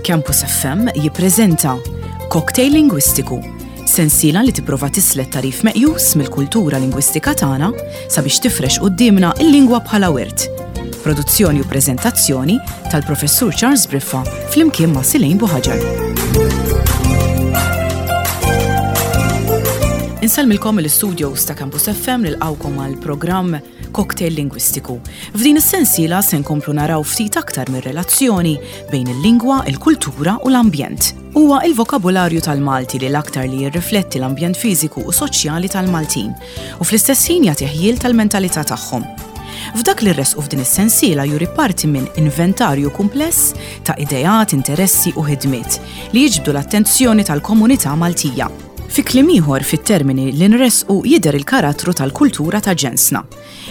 Campus FM jippreżenta Cocktail Lingwistiku, sensiela li tipprova tislet tagħrif meqjus mill-kultura lingwistika tagħna sabiex tifrex quddiemna l-lingwa bħala wirt. Produzzjoni u preżentazzjoni tal-Professur Charles Briffa flimkien ma' Silejn Buħaġar. Insellmilkom mill-istudios ta' Campus FM nilqgħukom għal programm Cocktail Lingwistiku. F'din is-sensiela se nkomplu naraw ftit aktar mir-relazzjoni bejn il-lingwa, il-kultura u l-ambjent. Huwa il-vokabularju tal-Malti li l-aktar li jirrifletti l-ambjent fiżiku u soċjali tal-Maltin u fl-istess ħin jagħti ħjiel tal-mentalità tagħhom. F'dak li rresqu f'din is-sensiela juri parti minn inventarju kumpless ta' ideat, interessi u ħidmiet li jiġbdu l-attenzjoni tal-komunità Maltija. Fi kliem ieħor, fit-termini li nressqu jidher il-karattru tal-kultura ta' ġensna.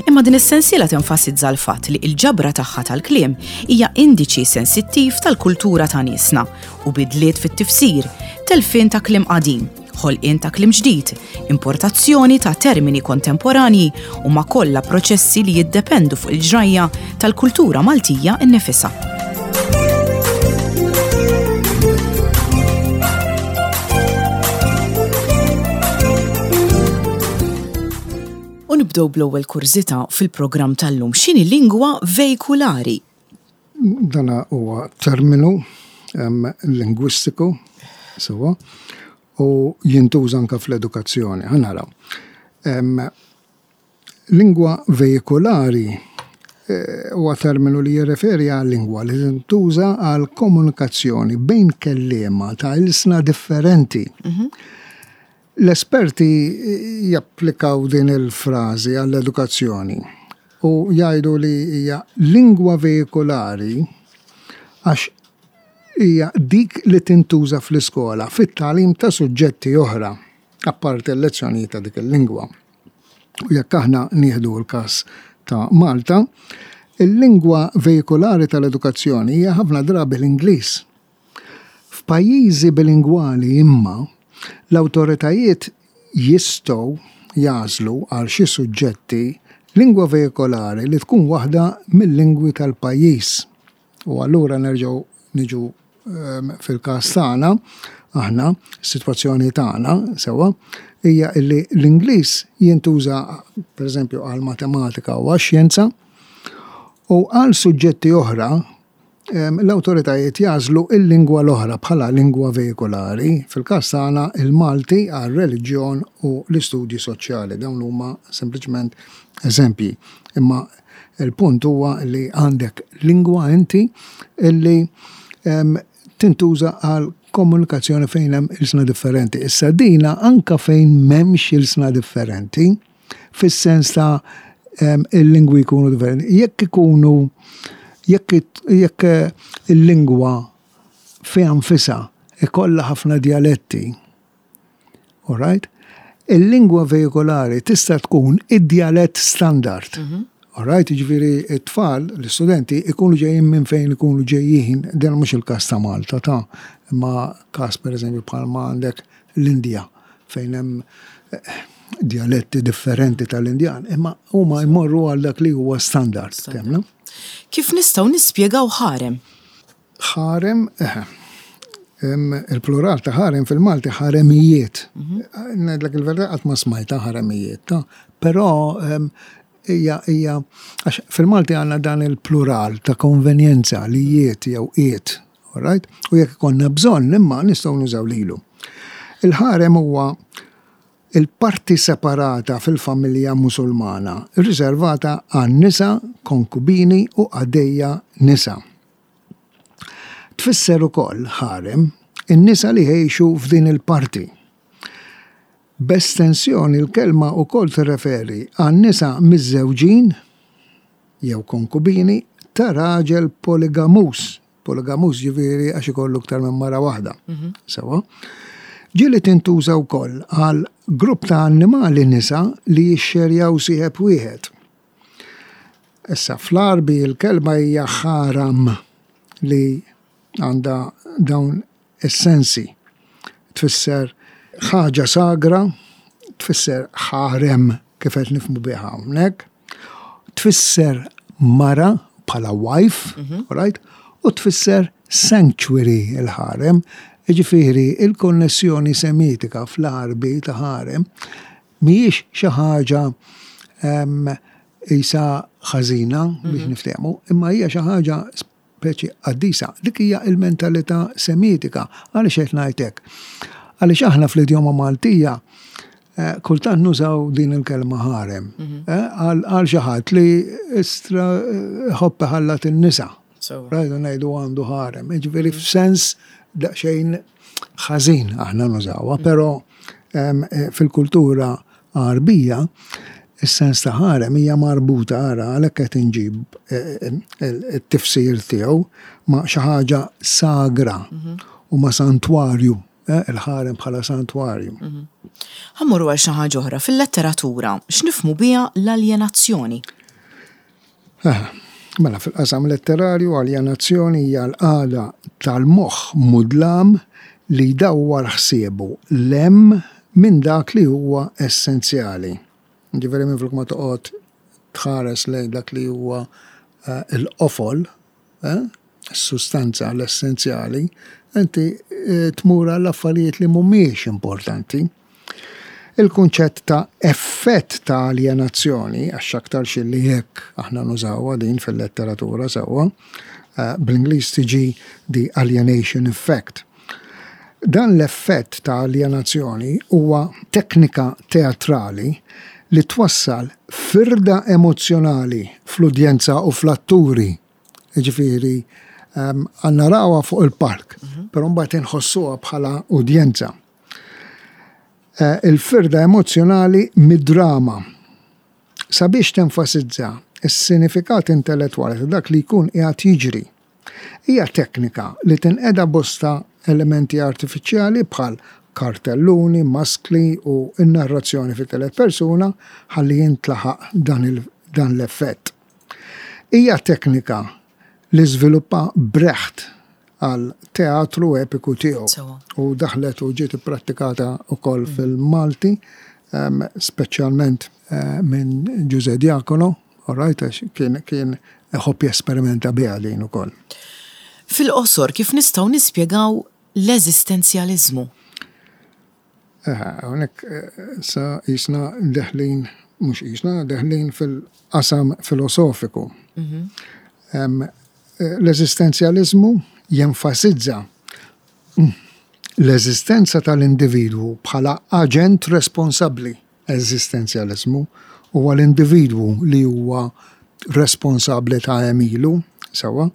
Imma din is-sensiela tenfasizza l-fatt li l-ġabra tagħha tal-kliem hija indiċi sensittiv tal-kultura ta' niesna u bidliet fit-tifsir, telfien ta' kliem qadim, ħolqien ta' kliem ġdid, importazzjoni ta' termini kontemporanji huma kollha proċessi li jiddependu fuq il-ġrajja tal-kultura Maltija nnifisha. U nibdew bl-ewwel kurżità fil-programm tal-lum. X'inhi lingwa veikulari? Dan huwa terminu lingwistiku, sewwa, u jintuża anke fl-edukazzjoni. Ħa naraw. Lingwa veikulari eh, huwa terminu li jirreferi għal lingwa li tintuża għal komunikazzjoni bejn kelliema ta' ilsna differenti. Mhm. L-esperti japplikaw din il-frażi għall-edukazzjoni u jgħidu li hija lingwa veikulari għax hija dik li tintuża fl-iskola fit-tagħlim ta' suġġetti oħra apparti l-lezzjonijiet ta' dik il-lingwa. U jekk aħna nieħdu l-każ ta' Malta, il-lingwa veikulari tal-edukazzjoni hija ħafna drabi l-Ingliż. F'pajjiżi bilingwali imma, l-awtoritajiet jistgħu jagħżlu għal xi suġġetti lingwa veikolari li tkun waħda mil-lingwi tal-pajjiż. U allura nerġgħu niġu fil-każ tagħna, aħna, is-sitwazzjoni tagħna, sewwa, hija li l-Ingliż jintuża pereżempju għall-matematika u għax-xjenza u għal suġġetti oħra l-awtoritajiet jagħżlu l-lingwa l-oħra bħala lingwa veikulari, fil-każ tagħna il-Malti għar-reliġjon u l-istudji soċjali. Dawn huma sempliċement eżempji. Imma il-punt huwa li għandek lingwa inti illi tintuża għal komunikazzjoni fejn hemm ilsna differenti. Issa dina anka fejn m'hemmx ilsna differenti, fis-sens ta' il-lingwi jkunu differenti. Jekk ikunu jekk jekk eh, il-lingwa fiha nfisha ikollha ħafna djaletti, all right? Il-lingwa veikolari tista' tkun id-djalett standard. Mhm. All right, jiġifieri t-tfal, l-istudenti, ikunu ġejjin minn fejn ikunu ġejjin, dan mhux il-każ ta' Malta ta' imma każ pereżempju bħalma għandek l-Indja fejn hemm eh, djaletti differenti tal-Indjan, imma huma jmorru għal dak li huwa standard. Temna? Kif nistgħu nispjegaw ħarem? Ħarem, eh, il-plural ta' ħarem fil-Malti ħaremijiet. Mhm. Ngħidlek il-verità qatt ma smajta ħaremijiet, ta' però hija hija għax fil-Malti għandna dan il-plural ta' konvenjenza li jiet jew qiet, alright? U jekk ikollna bżonn imma nistgħu nużaw lilu. Il-ħarem huwa il-parti separata fil-familja Musulmana, riservata għan-nisa, konkubini u qaddejja nisa. Tfisser ukoll ħarem in-nisa li jgħixu f'din il-parti. B'estensjoni l-kelma wkoll tirreferi għan-nisa miżżewġin, jew konkubini, ta' raġel poligamuż, poligamuż ġifieri għax ikollu iktar minn mara waħda. Mhm. Sewwa. Ġieli tintuża wkoll għal grupp ta' annimali nisa li jixxerjaw sieħeb wieħed. Issa fl-Għarbi l-kelma hija ħaram li għandha dawn is-sensi. Tfisser ħaġa sagra, tfisser ħarem kif qed nifhmu biha hawnhekk, tfisser mara bħala wife, mhm. right? u tfisser sanctuary il-ħarem, jiġifieri il-konnessjoni Semitika fl-Għarbi ta' ħarem mhijiex xi ħaġa qisha ħażina biex niftehmu, imma hija xi ħaġa speċi qaddisa. Dik hija l-mentalità Semitika. Għaliex qed ngħid hekk? Għaliex aħna fl-idjoma Maltija eh, kultant nużaw din il-kelma ħarem mhm. eh, għal xi ħadd li istra eh, ħobb ħallat in-nisa. Rajdu ngħidu għandu ħarem. Jiġifieri mhm. f'sens daqsxejn ħażin aħna nużawha, mhm. però fil-kultura Għarbija, is-sens ta' ħarem hija marbuta, ara, għalhekk qed inġib it-tifsir tiegħu, ma' xi ħaġa sagra u ma' santwarju, il-ħarem bħala santwarju. Ħa mmorru għal xi ħaġa oħra. Fil-letteratura, x'nifhmu biha l-aljenazzjoni? Mela, fil-qasam letterarju, aljenazzjoni hija l-qagħda tal-moħħ mudlam li jdawwar ħsiebu 'l hemm minn dak li huwa essenzjali. Jiġifieri minflok ma toqgħod tħares lejn dak li huwa l-qofol, is-sustanza, l-essenzjali, inti tmur għal affarijiet li mhumiex importanti. Il-kunċett ta' effett ta' aljenazzjoni, għax x'aktarx illi hekk aħna nużawha din fil-letteratura sewwa, bl-Ingliż tiġi the alienation effect. Dan l-effett ta' aljenazzjoni huwa teknika teatrali li twassal firda emozzjonali fl-udjenza u fl-atturi. Jiġifieri narawha fuq il-palk, però mbagħad inħossuha bħala udjenza. Eh, il-firda emozzjonali mid-drama sabiex tenfasizza s-sinifikat intellettwali ta' dak li jkun qiegħed jiġri. Hija teknika li tinqeda bosta elementi artifiċjali bħal kartelluni, maskli u n-narrazzjoni fit-telet persuna ħalli jintlaħaq dan l-effett. Hija teknika li żviluppa Brecht għal teatru epiku tiegħu. U daħlet u ġiet ipprattikata wkoll mm. fil-Malti, speċjalment eh, minn Ġuże Diakono, all right, għax kien kien iħobb jesperimenta biha din ukoll. Fil-qosor kif nistgħu nispjegaw l-eżistenzjaliżmu? Hawnhekk eh, sa jisna deħlin, mhux jisna deħlin fil-qasam filosofiku. Mhm. Eh, l-eżistenzjaliżmu jenfasizza l-eżistenza tal-individwu bħala aġent responsabbli. Eżistenzjaliżmu huwa l-individwu li huwa responsabbli ta' għemilu, sewwa.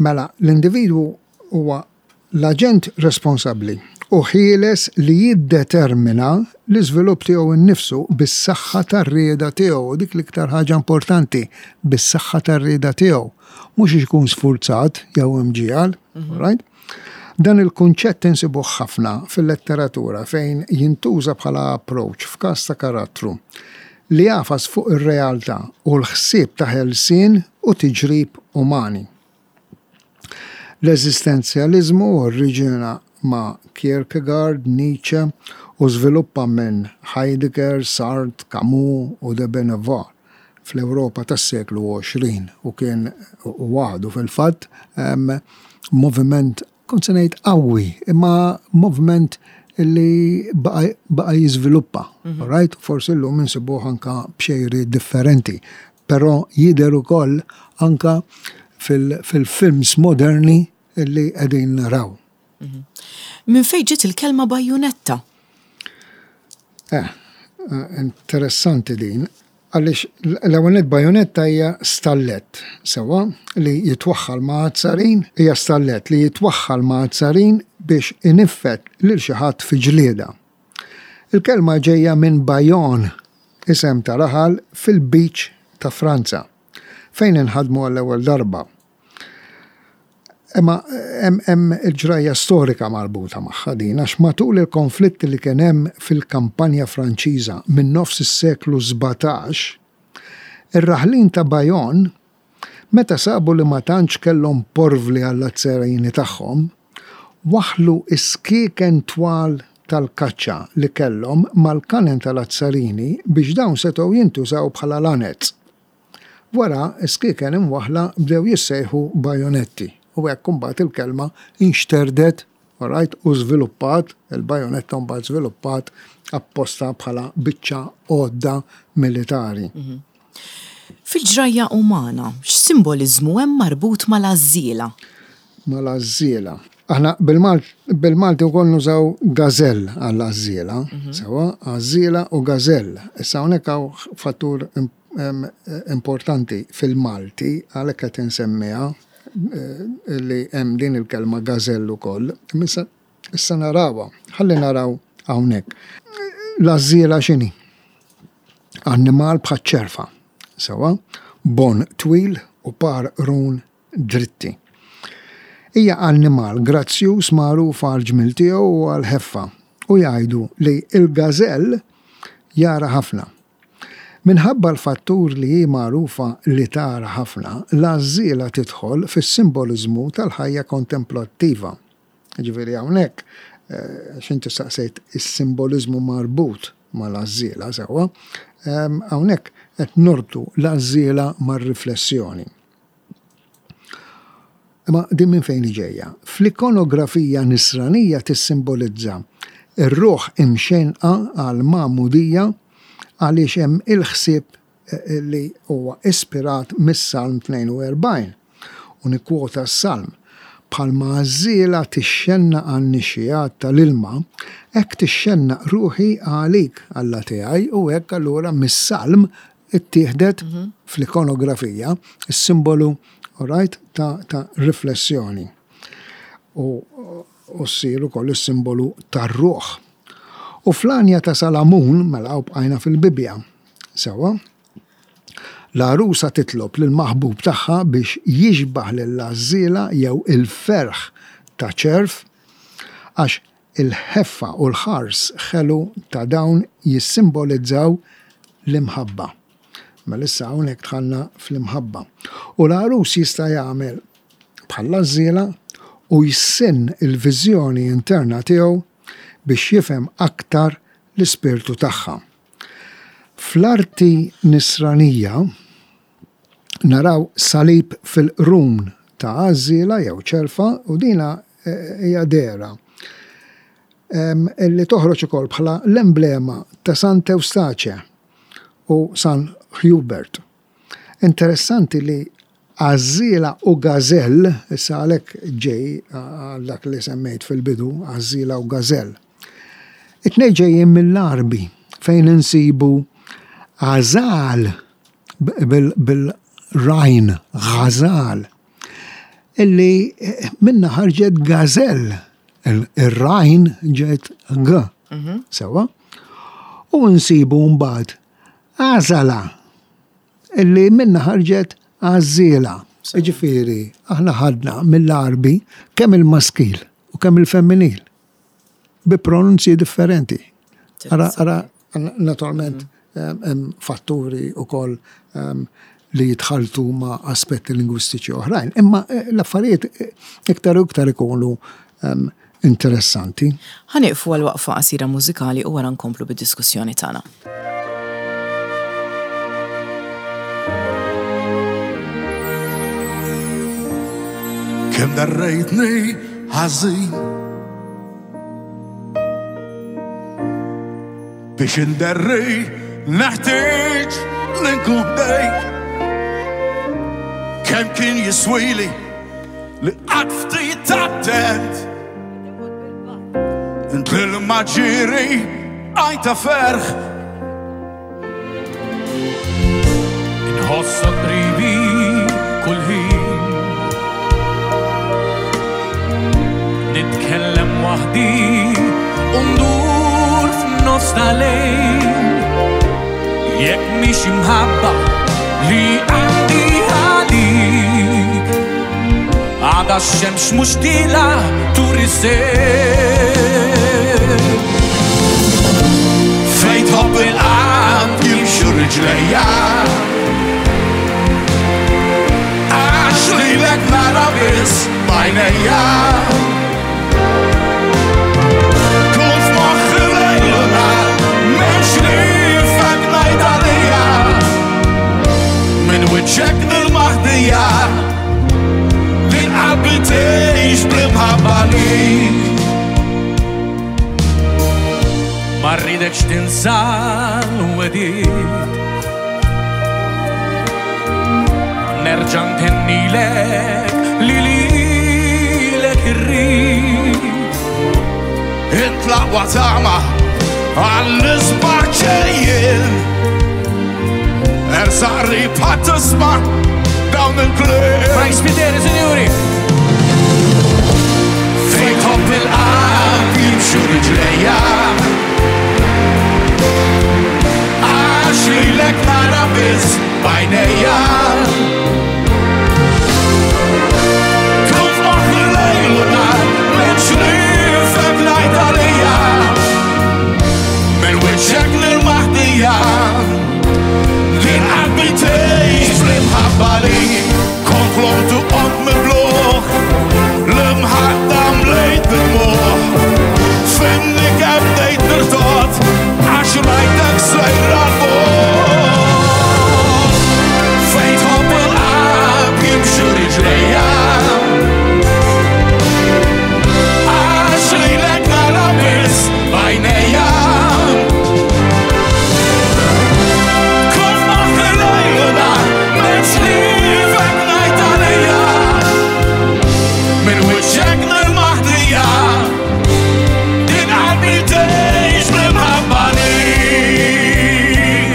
Mela, l-individwu huwa l-aġent responsabbli u ħieles li jiddetermina l-iżvilupp tiegħu nnifsu bis-saħħa tar-rieda tiegħu, u dik l-iktar ħaġa importanti, bis-saħħa tar-rieda tiegħu, mhux għax ikun sfurzat jew imġiegħel, right? Dan il-kunċett insibuh ħafna fil-letteratura fejn jintuża bħala approach f'każ ta' karattru li jagħfas fuq ir-realtà u l-ħsieb ta' ħelsien u tiġrib umani. L-eżistenzjaliżmu oriġina ma' Kierkegaard, Nietzsche u żviluppa minn Heidegger, Sartre, Camus u de Beauvoir fl-Ewropa tas-seklu 20 u kien u għadu fil-fatt moviment kont se ngħid qawwi, imma moviment li baqa' jiżviluppa. Mhm. Right? Forsi llum insibuh anka b'xejri differenti, però jidher ukoll anka fil-films moderni li qegħdin naraw. Mhm. Minn fejn ġiet il-kelma bajjunetta? Eh, eh, interessanti din. Għaliex l-ewwel nett bajunetta hija stallett, sewwa, li jitwaħħal ma' azzarin, hija stallett li jitwaħħal ma' azzarin biex iniffed lil xi ħadd fi ġlieda. Il-kelma ġejja minn Bayonne, isem ta' raħal fil-Lbiċ ta' Franza, fejn inħadmu għall-ewwel darba. Imma hemm il-ġrajja storika marbuta magħha din għax matul il-konflitti li kien hemm fil-kampanja Franċiża minn nofs is-seklu 17, ir-raħlin ta' Bayonne meta sabu li ma tantx kellhom porvli għall-azzerini tagħhom, waħħlu s-skieken twal tal-kaċċa li kellhom mal-kanen tal-azzarini biex dawn setgħu jintużaw bħala lanez. Wara, is-skieken imwaħħla bdew jissejħu bajonetti u hekk imbagħad il-kelma inxterdet, alright, u żviluppat, il-bajonetta mbagħad żviluppat apposta bħala biċċa għodda militari. Fil-ġrajja umana, x'simboliżmu hemm marbut mal-għażżiela? Mal-għażżiela. Aħna bil-Malti wkoll nużaw gażell għall-għażżiela, sewwa, għażżiela u gażell. Issa hawnhekk hawn fattur importanti fil-Malti, għalhekk qed insemmiha li hemm din il-kelma gażell ukoll. Issa narawha, ħalli naraw hawnhekk. L-għażżiela x'inhi? Annimal bħaċ-ċerfa, sewwa, b'għonq twil u par qrun dritti. Hija annimal grazzjuż magħruf għall-ġmiel tiegħu u għall-ħeffa u jgħidu li l-gażell jara ħafna. Minħabba l-fattur li hi magħrufa li tara ħafna, l-għażżiela tidħol fis-simboliżmu tal-ħajja kontemplattiva. Jiġifieri hawnhekk, għax inti staqsejt is-simboliżmu marbut mal-għażżiela, sewwa, hawnhekk qed norbtu l-għażżiela mar-riflessjoni. Imma din minn fejn hi ġejja? Fl-ikonografija nisranija tissimbolizza r-ruħ imxenqa għall-magħmudija għaliex hemm il-ħsieb li huwa ispirat mis-Salm 42, u nikkwota s-Salm, Bħalma għażżiela tixxennaq għan-nixxigħat tal-ilma, hekk tixxennaq ruħi għalik, Alla tiegħi, u hekk allura mis-Salm ittieħdet fl-ikonografija s-simbolu alright, ta', ta riflessjoni. U, u ssir ukoll is-simbolu tar-ruħ. U fl-għanja ta' Salamun, mela u bqajna fil-Bibbja, sewwa, l-għarusa titlob lill-maħbub tagħha biex jixbah lill-għażżiela jew il-ferħ ta' ċerv, għax il-ħeffa u l-ħars ħelu ta' dawn jissimbolizzaw l-imħabba. Mela issa hawnhekk dħalna fl-imħabba. U l-għarus jista' jagħmel bħall-għażżiela u jsinn il-viżjoni interna tiegħu biex jifhem aktar l-ispirtu tagħha. Fl-arti Nisranija naraw salib fil-qrun ta' għażżiela jew ċerfa u dina hija dehra li toħroġ ukoll bħala l-emblema ta' Sant Eustace u San Hubert. Interessanti li għażżiela u gażell, issa għalhekk ġej għal dak li semmejt fil-bidu, għażżiela u gażell. It-tnejn ġejjin mill-Għarbi fejn insibu għażal bil-rajn, għażal, illi minna ħarġet gażell, ir-rajn ġiet g. Sewwa? U nsibu mbagħad għażala illi minna ħarġet għażżiela. Jiġifieri, aħna ħadna mill-Għarbi kemm il-maskil u kemm il-femminil bi pronunzji differenti. Ara, ara, naturalment, hemm fatturi wkoll li jitħalltu ma' aspetti lingwistiċi oħrajn, imma eh, l-affarijiet eh, iktar u iktar ikunu interessanti. Ħa nieqfu għal waqfa qasira mużikali u wara nkomplu bid-diskussjoni tagħna. Kemm darrejtni ħażin Biex inderri neħtieġ li nkun ħdejk Kemm kien jiswili Li qatt ftit attent Int l-ilma ġiri għajta ferħ Inħossok qribi kull ħin Nitkellem waħdi u ndur f'nofs tal-lejl Jekk mhix imħabba li għandi għalik Għada x-xemx mhux tila turi sejl Fejn tħobb il-qalb jimxu riġlejja Għax lilek nara biss b'għajnejja Kull f'moħħi lejl u nhar m'hemmx li fek ngħid għalija Minn wiċċek. għalik. Ma rridekx tinsa l-wedid. Nerġa' ntennilek li lilek irrid. Int l-aqwa tama għall-isbaħ ġejjin. Ersaq qrib ħadd tisma' dawn il-kliem. Frank Spiteri, sinjuri! Fejn tħobb il-qalb jimxu riġlejja. Għax lilek nara biss b'għajnejja. Tkun f'moħħi lejl u nhar, m'hemmx nifhem ngħid għalija. Minn wiċċek l-maħdija. Din qalbi tgħix bl-imħabba li kont ħlomt u qomt mibluħ. L-imħadda mlejt bid-dmugħ. Finni kemm bdejt nirtod għax rajtek sejra l-fuq. Fejn tħobb il-qalb jimxu riġlejja. Għax lilek nara biss b'għajnejja. Kull moħħ lejl u nhar, m'hemmx ħliefek ngħid għalija. Minn wiċċek nil-maħdija, din qalbi tgħix bl-imħabba lik.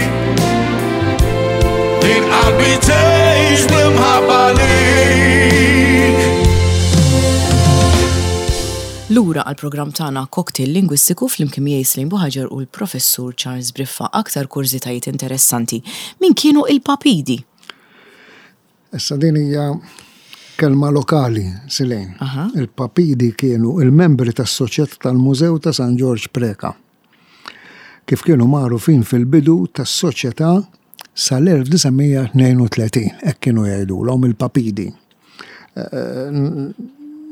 Din qalbi tgħix bl-imħabba lik. Lura għall-programm tagħna Cocktail Lingwistiku flimkien miegħi Slim Buhaġar u l-Professur Charles Briffa. Aktar kurżitajiet interessanti. Min kienu il-Papidi? Issa din hija kelma lokali, Silejn. Il-Papidi kienu il-membri tas-Soċjetà tal-Mużew ta' San Ġorġ Preca. Kif kienu magħrufin fil-bidu tas-Soċjetà sal-1932, hekk kienu jgħidulhom il-Papidi.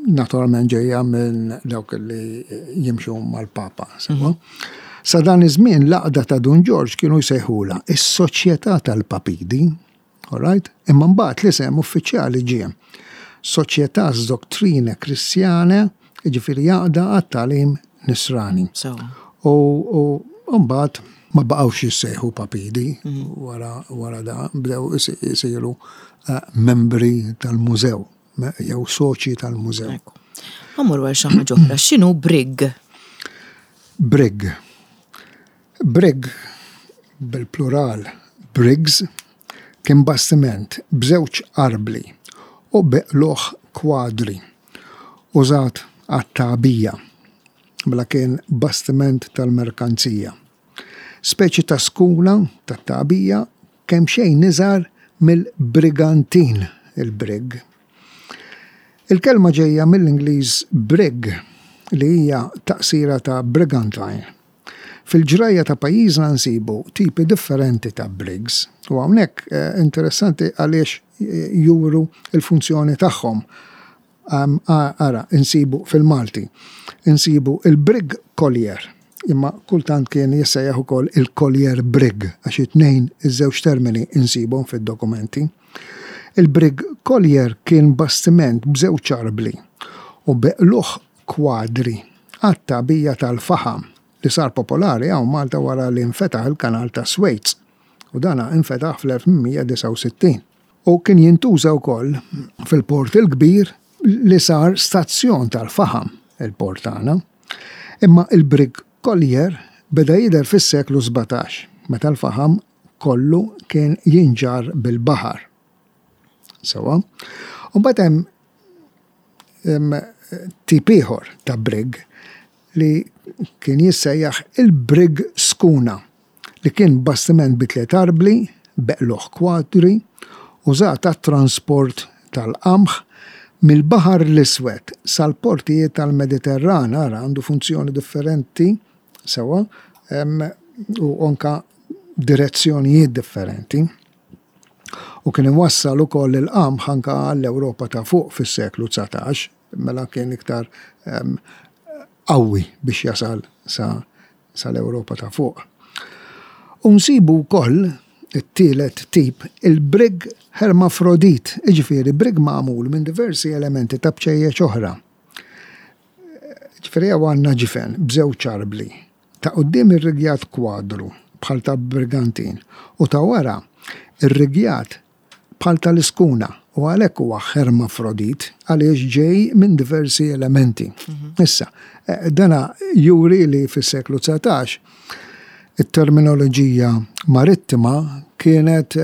Naturalment ġejja minn dawk li jimxu mal-Papa. Sewwa? Sa dan iż-żmien l-għaqda ta' Dun Ġorġ kienu jsejħulha is-Soċjetà tal-Papidi. All right? Imma mbagħad l-isem uffiċjali ġie Societas Doctrinae Christianae, jiġifieri għaqda għat-tagħlim Nisrani. U mbagħad ma baqgħux jissejħu Papidi wara wara da bdew isiru membri tal-mużew jew soċji tal-mużew. Ħa mmorru għal xi ħaġa oħra. X'inhu brig? Brig. Brig, bil-plural brigs, kien bastiment b'żewġ arbli u bi qlugħ kwadri, użat għat-tagħbija, mela kien bastiment tal-merkanzija. Speċi ta' skula tat-tagħbija kemxejn iżgħar mill-brigantin, il-brig. Il-kelma ġejja mill-Ingliż brig li hija taqsira ta' brigantine. Fil-ġrajja ta' pajjiżna nsibu tipi differenti ta' brigs u hawnhekk interessanti għaliex juru l-funzjoni tagħhom. Ara, insibu fil-Malti, insibu il-brig collier, imma kultant kien jissejjaħ ukoll il-collier brig għax it-tnejn iż-żewġ termini insibhom fid-dokumenti. Il-brig collier kien bastiment b'żewġ arbli u bi qlugħ kwadri għat-tagħbija tal-faħam li sar popolari hawn Malta wara li nfetaħ il-Kanal ta' Swejz u dana infetaħ fl-1869 u kien jintuża wkoll fil-Port il-Kbir li sar stazzjon tal-faħam il-port tagħna. Imma il-Brig Collier beda jidher fis-seklu 17 meta l-faħam kollu kien jinġarr bil-baħar. Sewwa. U mbagħad hemm tip ieħor ta' brig li kien jissejjaħ il-brig skuna li kien bastiment bi tliet arbli b'qlugħ kwadri użat għat-transport tal-qamħ mill-Baħar l-Iswed sal-portijiet tal-Mediterran, ara għandu funzjoni differenti sewwa u anka direzzjonijiet differenti. U kien iwassal ukoll il-qamħ anka għall-Ewropa ta' fuq fis-seklu 19, mela kien iktar qawwi biex jasal sa sal-Ewropa ta' fuq. U nsibu wkoll it-tielet tip, il-brig hermafrodit, jiġifieri brig magħmul minn diversi elementi ta' bċejjeċ oħra. Ġifieri hawn għandna ġifen b'żewġ arbli, ta' quddiem irrigjat kwadru bħal ta' brigantin u ta' wara rrigjat bħal tal-iskuna u għalhekk huwa ħermafrodit għaliex ġej minn diversi elementi. Issa, dana juri li fis-seklu 19 it-terminoloġija marittima kienet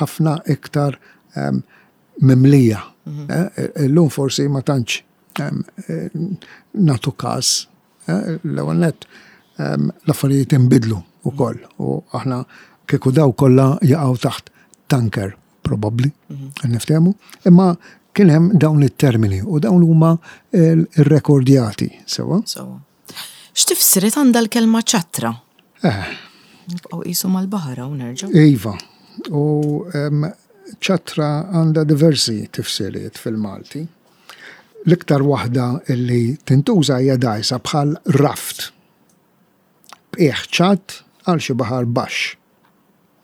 ħafna iktar mimlija. Illum forsi ma tantx nagħtu każ. L-ewwel nett l-affarijiet inbidlu wkoll u aħna kieku daw kollha jaqgħu taħt tanker probabbli, niftehmu, imma kien hemm dawn it-termini u dawn huma rrekordjati sewwa. Sewwa. X'tifsiriet għandha l-kelma ċattra? Eh. Nibqgħu qisu mal-baħar hawn nerġgħu. Iva. U ċattra għandha diversi tifsiriet fil-Malti. L-iktar waħda li tintuża hija dgħajsa bħal raft. B'qiegħ ċatt għal xi baħar baxx.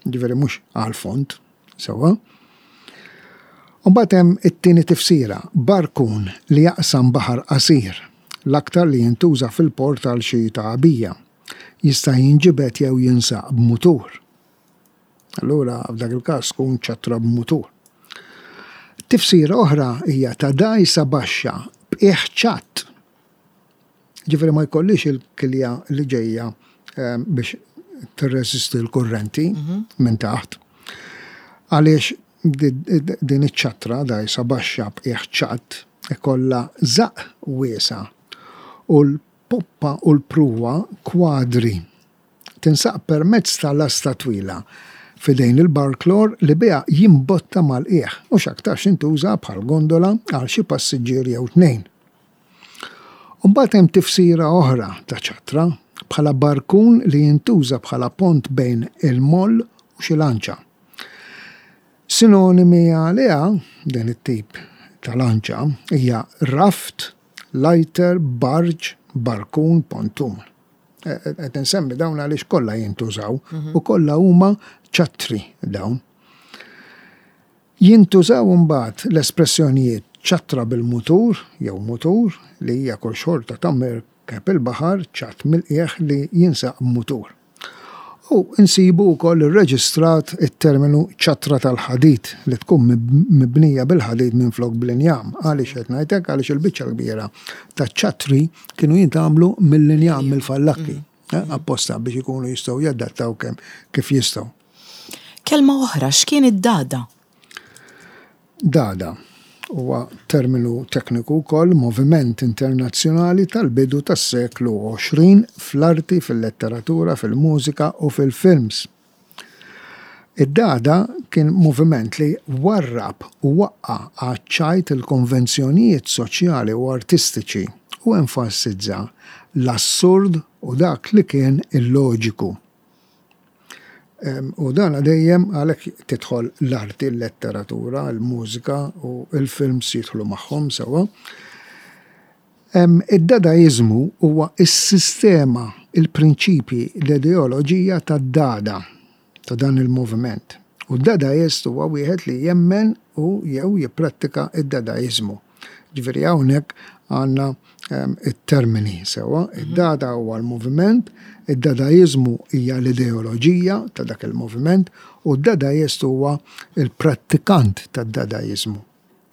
Ġifieri mhux għal fond, sewwa. U mbagħad hemm it-tieni tifsira, barkun li jaqsam baħar qasir, l-aktar li jintuża fil-port għal xi tagħbija. Jista' jinġibed jew jinsaq b'mutur. Allura f'dak il-każ tkun ċattra b'mutur. Tifsira oħra hija ta' dgħajsa baxxa b'qiegħ ċatt. Ġifieri ma jkollix il-kilja li ġejja ehm, biex tirreżisti l-kurrenti mhm. minn taħt. Għaliex din iċ-ċattra dgħajsa baxxa b'qiegħ ċatt ikollha żaqq wiesa' u l-poppa u l-pruwa kwadri Tinsaq permezz ta' lasta twila f'idejn il-barklor li biha jimbotta mal-qiegħ u x'aktarx tintuża bħal gondola għal xi passiġġier jew tnejn. U mbagħad hemm tifsira oħra ta' ċattra, bħala barkun li jintuża bħala pont bejn il-moll u xi lanċa. Sinonimi għaliha, din it-tip ta' lanċa, hija raft, lighter, barge, barkun, pontun. Qed insemmi dawn għaliex kollha jintużaw mhm. u kollha huma ċattri dawn. Jintużaw imbagħad l-espressjonijiet ċattra bil-mutur jew mutur li hija kull xorta ta' mirkeb il-baħar ċatt mill-qiegħ li jinsaq mutur. U nsibu wkoll irreġistrat it-terminu ċattra tal-ħadid li tkun mibnija bil-ħadid minflok bl-injam. Għaliex qed ngħid hekk? Għaliex il-biċċa l-kbira taċ-ċattri kienu jintgħamlu mill-injam, mill-fallakki, apposta biex ikunu jistgħu jadattaw kemm kif jistgħu. Kelma oħra, x'kien id-dada? Dada huwa terminu tekniku wkoll, moviment internazzjonali tal-bidu tas-seklu 20 fl-arti, fil-letteratura, fil-mużika u fil-films. Id-Dada kien moviment li warrab u waqqa' għaċ-ċajt il-konvenzjonijiet soċjali u artistiċi u enfasizza l-assurd u dak li kien illoġiku. U dan dejjem għalhekk tidħol l-arti, l-letteratura, il-mużika u l-films jidħlu magħhom sewwa. Id-Dadaiżmu huwa s-sistema, il-prinċipji, l-ideoloġija tad-Dada, ta' dan il-moviment. U d-Dadaist huwa wieħed li jemmen u jew jipprattika d-Dadaiżmu. Ġifieri hawnhekk għandna it-termini sewwa. Id-Dada huwa l-moviment, id-Dadaiżmu hija l-ideoloġija ta' dak il-moviment u d-Dadaist huwa l-prattikant tad-Dadaiżmu.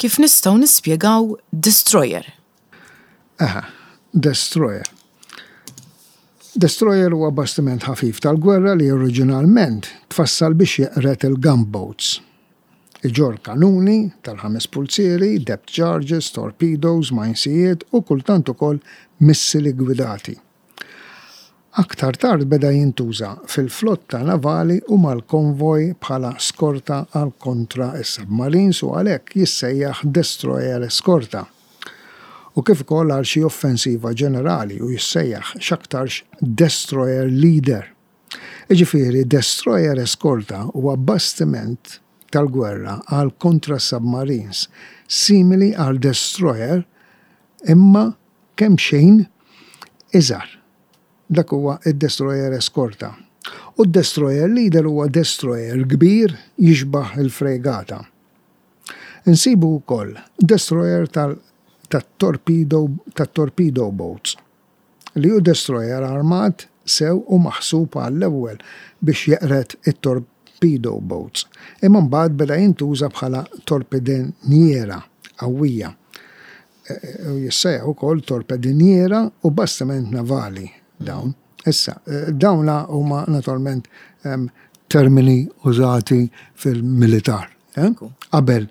Kif nistgħu nispjegaw destroyer? Eħe, destroyer. Destroyer huwa bastiment ħafif tal-gwerra li oriġinalment tfassal biex jeqred il-gunboats. Iġorr kanuni tal-ħames pulzieri, depth charges, torpedoes, majnsijiet u kultant ukoll missili gwidati. Aktar tard beda jintuża fil-flotta navali u mal-konvoj bħala skorta għal kontra s-submarines u għalhekk jissejjaħ destroyer eskorta. U kif ukoll għal xi offensiva ġenerali u jissejjaħ x'aktarx destroyer leader. Jiġifieri destroyer eskorta huwa bastiment tal-gwerra għal kontra s-submarines, simili għal destroyer imma kemxejn iżgħar. Dak huwa d-destroyer eskorta. U d-destroyer leader huwa destroyer kbir jixbah il-frejgata. Insibu wkoll destroyer tat-torpedo boats. li hu destroyer armat sew u maħsub għall-ewwel biex jeqred it-torpedo boats, imma mbagħad beda jintuża bħala torpediniera qawwija. U jissejjaħ ukoll torpediniera u bastiment navali dawn. Issa, dawna huma naturalment termini użati fil-militar. Qabel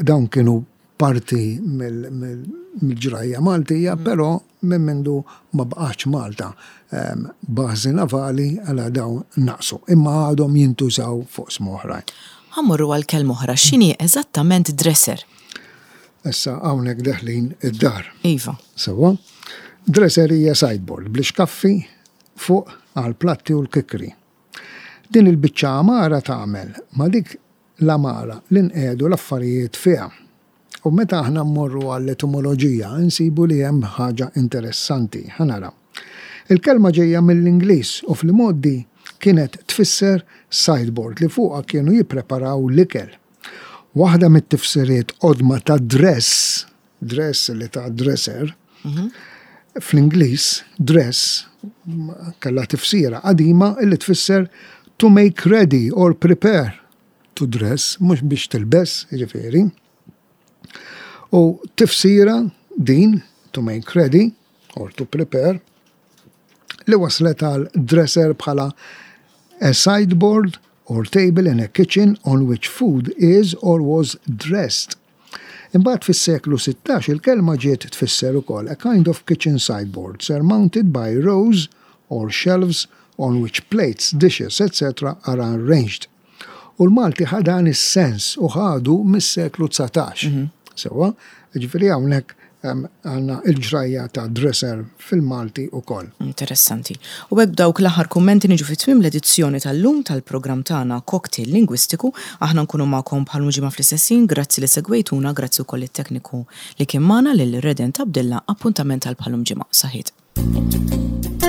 dawn kienu parti mill-ġrajja Maltija, però minn mindu ma baqgħetx Malta bażi navali għala dawn naqsu, imma għadhom jintużaw f'oqsma oħrajn. Ħa mmorru għal kelma oħra, x'inhi eżattament dresser? Issa hawnhekk deħlin id-dar. Iva. Sewwa. Dresser hija sideboard bl-ixkaffi fuq għall-platti u l-kikri. Din il-biċċa għamara tagħmel ma' dik l-għamara li nqiegħdu l-affarijiet fiha. U meta aħna mmorru għall-etimoloġija nsibu li hemm ħaġa interessanti. Ħa naraw. Il-kelma ġejja mill-Ingliż u fl-imgħoddi kienet tfisser sideboard li fuqha kienu jippreparaw l-ikel. Waħda mit-tifsiriet qodma ta' dress, dress li ta' dresser, fl-Ingliż dress kellha tifsira qadima li tfisser to make ready or prepare to dress, mhux biex tilbes, jiġifieri. U tifsira din, to make ready or to prepare, li waslet għal dresser bħala a sideboard or table in a kitchen on which food is or was dressed. Imbagħad fis-seklu 16 il-kelma ġiet tfisser ukoll a kind of kitchen sideboard surmounted by rows or shelves on which plates, dishes, etc. are arranged. U l-Malti ħa dan is-sens u ħadu mis-seklu 19. Sewwa, jiġifieri hawnhekk għandna l-ġrajja ta' dresser fil-Malti ukoll. Interessanti. U hekk b'dawk l-aħħar kummenti niġu fi tmiem l-edizzjoni tal-lum tal-programm tagħna Cocktail Lingwistiku. Aħna nkunu magħkom bħal ġimgħa fl-istess ħin. Grazzi li segwejtuna, grazzi wkoll lit-tekniku li kien magħna lil Redent Abdilla. Appuntament għal bħal ġimgħa. Saħħiet.